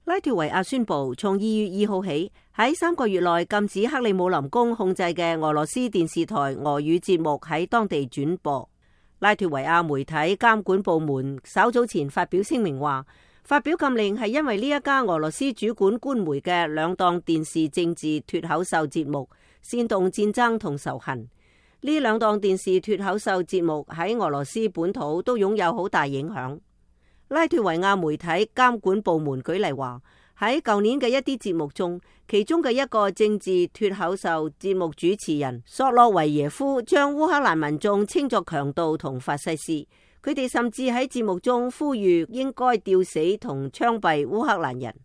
拉脫維亞宣布從2月2號起，喺3個月內禁止克里姆林宮控制嘅俄羅斯電視台俄語節目喺當地轉播。拉脫維亞媒體監管部門稍早前發表聲明話，發表禁令係因為呢一家俄羅斯主管官媒嘅兩檔電視政治脫口秀節目煽動戰爭同仇恨。呢兩檔電視脫口秀節目喺俄羅斯本土都擁有好大影響。拉脫維亞媒體監管部門舉例話，喺舊年嘅一啲節目中，其中嘅一個政治脫口秀節目主持人索洛維耶夫將烏克蘭民眾稱作強盜同法西斯，佢哋甚至喺節目中呼籲應該吊死同槍斃烏克蘭人。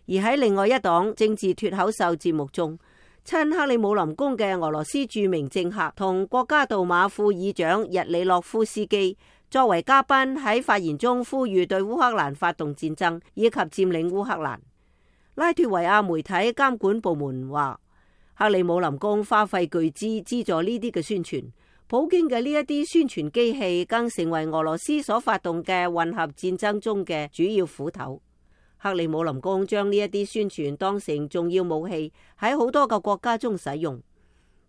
而喺另外一檔政治脫口秀節目中，親克里姆林宮嘅俄羅斯著名政客同國家杜馬副議長日里諾夫斯基作為嘉賓喺發言中呼籲對烏克蘭發動戰爭以及佔領烏克蘭。拉脫維亞媒體監管部門話，克里姆林宮花費巨資資助呢啲嘅宣傳，普京嘅呢一啲宣傳機器更成為俄羅斯所發動嘅混合戰爭中嘅主要斧頭。克里姆林宮將呢一啲宣傳當成重要武器，喺好多個國家中使用。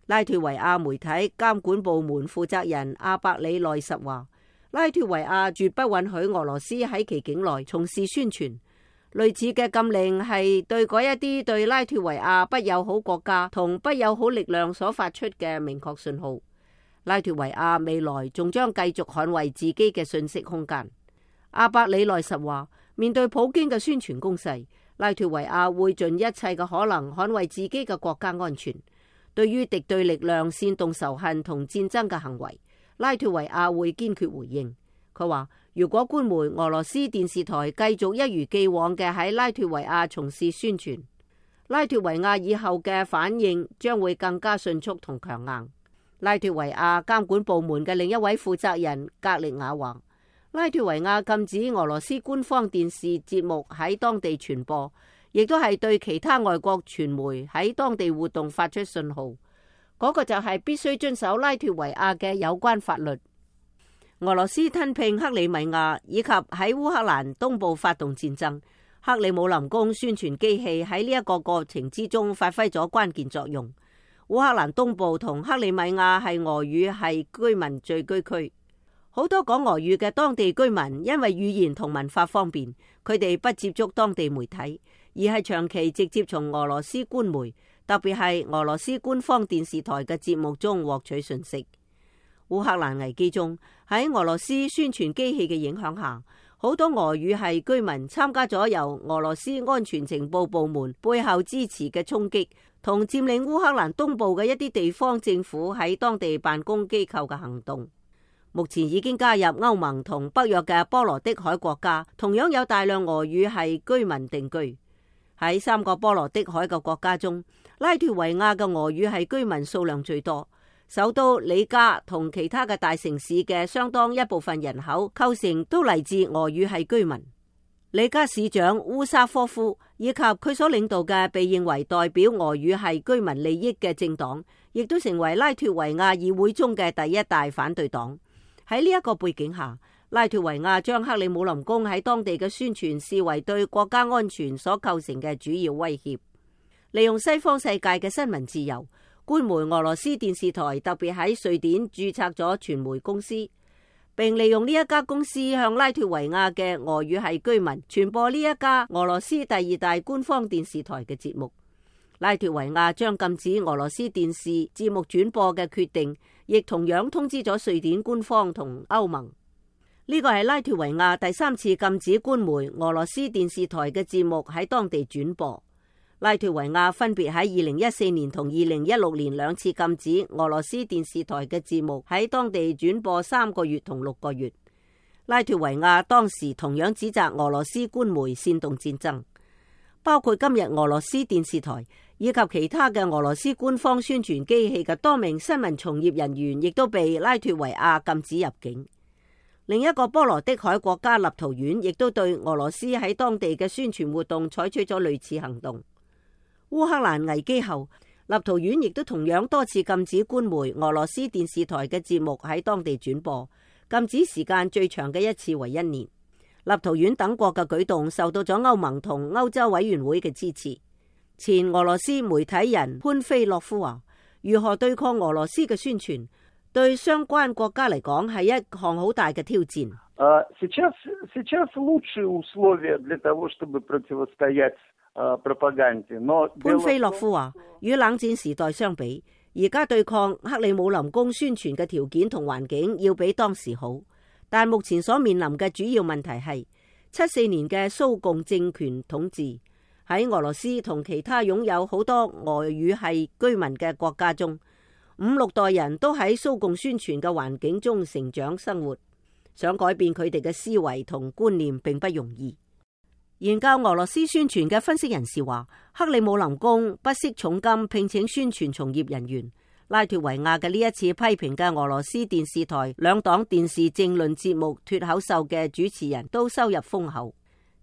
拉脫維亞媒體監管部門負責人阿伯里內什話，拉脫維亞絕不允許俄羅斯喺其境內從事宣傳。類似嘅禁令係對嗰一啲對拉脫維亞不友好國家同不友好力量所發出嘅明確信號。拉脫維亞未來仲將繼續捍衛自己嘅信息空間。阿伯里內什話，面對普京嘅宣傳攻勢，拉脫維亞會盡一切嘅可能捍衛自己嘅國家安全。對於敵對力量煽動仇恨同戰爭嘅行為，拉脫維亞會堅決回應。佢話，如果官媒俄羅斯電視台繼續一如既往嘅喺拉脫維亞從事宣傳，拉脫維亞以後嘅反應將會更加迅速同強硬。拉脫維亞監管部門嘅另一位負責人格力亞話，拉脫維亞禁止俄羅斯官方電視節目喺當地傳播，亦都係對其他外國傳媒喺當地活動發出信號。嗰個就係必須遵守拉脫維亞嘅有關法律。俄羅斯吞併克里米亞以及喺烏克蘭東部發動戰爭，克里姆林宮宣傳機器喺呢一個過程之中發揮咗關鍵作用。烏克蘭東部同克里米亞係俄語系居民聚居區，好多講俄語嘅當地居民因為語言同文化方便，佢哋不接觸當地媒體，而係長期直接從俄羅斯官媒，特別係俄羅斯官方電視台嘅節目中獲取信息。烏克蘭危機中，喺俄羅斯宣傳機器嘅影響下，好多俄語系居民參加咗由俄羅斯安全情報部門背後支持嘅衝擊，同佔領烏克蘭東部嘅一啲地方政府喺當地辦公機構嘅行動。目前已經加入歐盟同北約嘅波羅的海國家，同樣有大量俄語系居民定居。喺3個波羅的海嘅國家中，拉脫維亞嘅俄語系居民數量最多。首都里加同其他嘅大城市嘅相當一部分人口構成都嚟自俄語系居民。里加市長烏沙科夫以及佢所領導嘅被認為代表俄語系居民利益嘅政黨，亦都成為拉脫維亞議會中嘅第一大反對黨。喺呢一個背景下，拉脫維亞將克里姆林宮喺當地嘅宣傳視為對國家安全所構成嘅主要威脅。利用西方世界嘅新聞自由，官媒俄羅斯電視台特別喺瑞典註冊咗傳媒公司，並利用呢一家公司向拉脫維亞嘅俄語系居民傳播呢一家俄羅斯第2大官方電視台嘅節目。拉脫維亞將禁止俄羅斯電視節目轉播嘅決定，亦同樣通知咗瑞典官方同歐盟。呢個係拉脫維亞第3次禁止官媒俄羅斯電視台嘅節目喺當地轉播。拉脫維亞分別喺2014年同2016年2次禁止俄羅斯電視台嘅節目喺當地轉播3個月同6個月。拉脫維亞當時同樣指責俄羅斯官媒煽動戰爭，包括今日俄羅斯電視台以及其他嘅俄羅斯官方宣傳機器嘅多名新聞從業人員，亦都被拉脫維亞禁止入境。另一個波羅的海國家立陶宛亦都對俄羅斯喺當地嘅宣傳活動採取咗類似行動。烏克蘭危機後，立陶宛亦都同樣多次禁止官媒俄羅斯電視台嘅節目喺當地轉播，禁止時間最長嘅一次為1年。立陶宛等國嘅舉動受到咗歐盟同歐洲委員會嘅支持。前俄羅斯媒體人潘菲洛夫話：如何對抗俄羅斯嘅宣傳，對相關國家嚟講係一項好大嘅挑戰。潘菲洛夫話：與冷戰時代相比，而家對抗克里姆林宮宣傳嘅條件同環境要比當時好，但目前所面臨嘅主要問題係74年嘅蘇共政權統治，喺俄羅斯同其他擁有好多俄語系居民嘅國家中，5、6代人都喺蘇共宣傳嘅環境中成長生活，想改變佢哋嘅思維同觀念並不容易。研究俄羅斯宣傳嘅分析人士話，克里姆林宮不惜重金聘請宣傳從業人員。拉脫維亞嘅呢一次批評嘅俄羅斯電視台兩檔電視政論節目脫口秀嘅主持人都收入豐厚，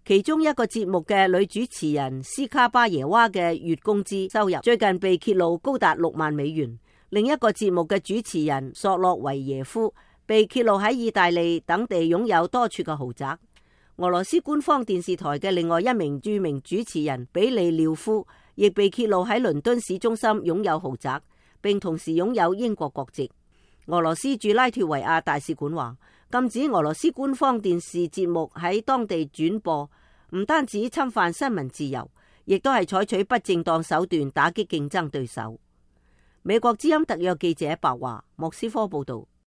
其中一個節目嘅女主持人斯卡巴耶娃嘅月工資收入最近被揭露高達6萬美元，另一個節目嘅主持人索洛維耶夫被揭露喺意大利等地擁有多處嘅豪宅。俄羅斯官方電視台嘅另外一名著名主持人比利廖夫亦被揭露喺倫敦市中心擁有豪宅，並同時擁有英國國籍。俄羅斯駐拉脫維亞大使館話，禁止俄羅斯官方電視節目喺當地轉播，唔單止侵犯新聞自由，亦都係採取不正當手段打擊競爭對手。美國之音特約記者白華莫斯科報道。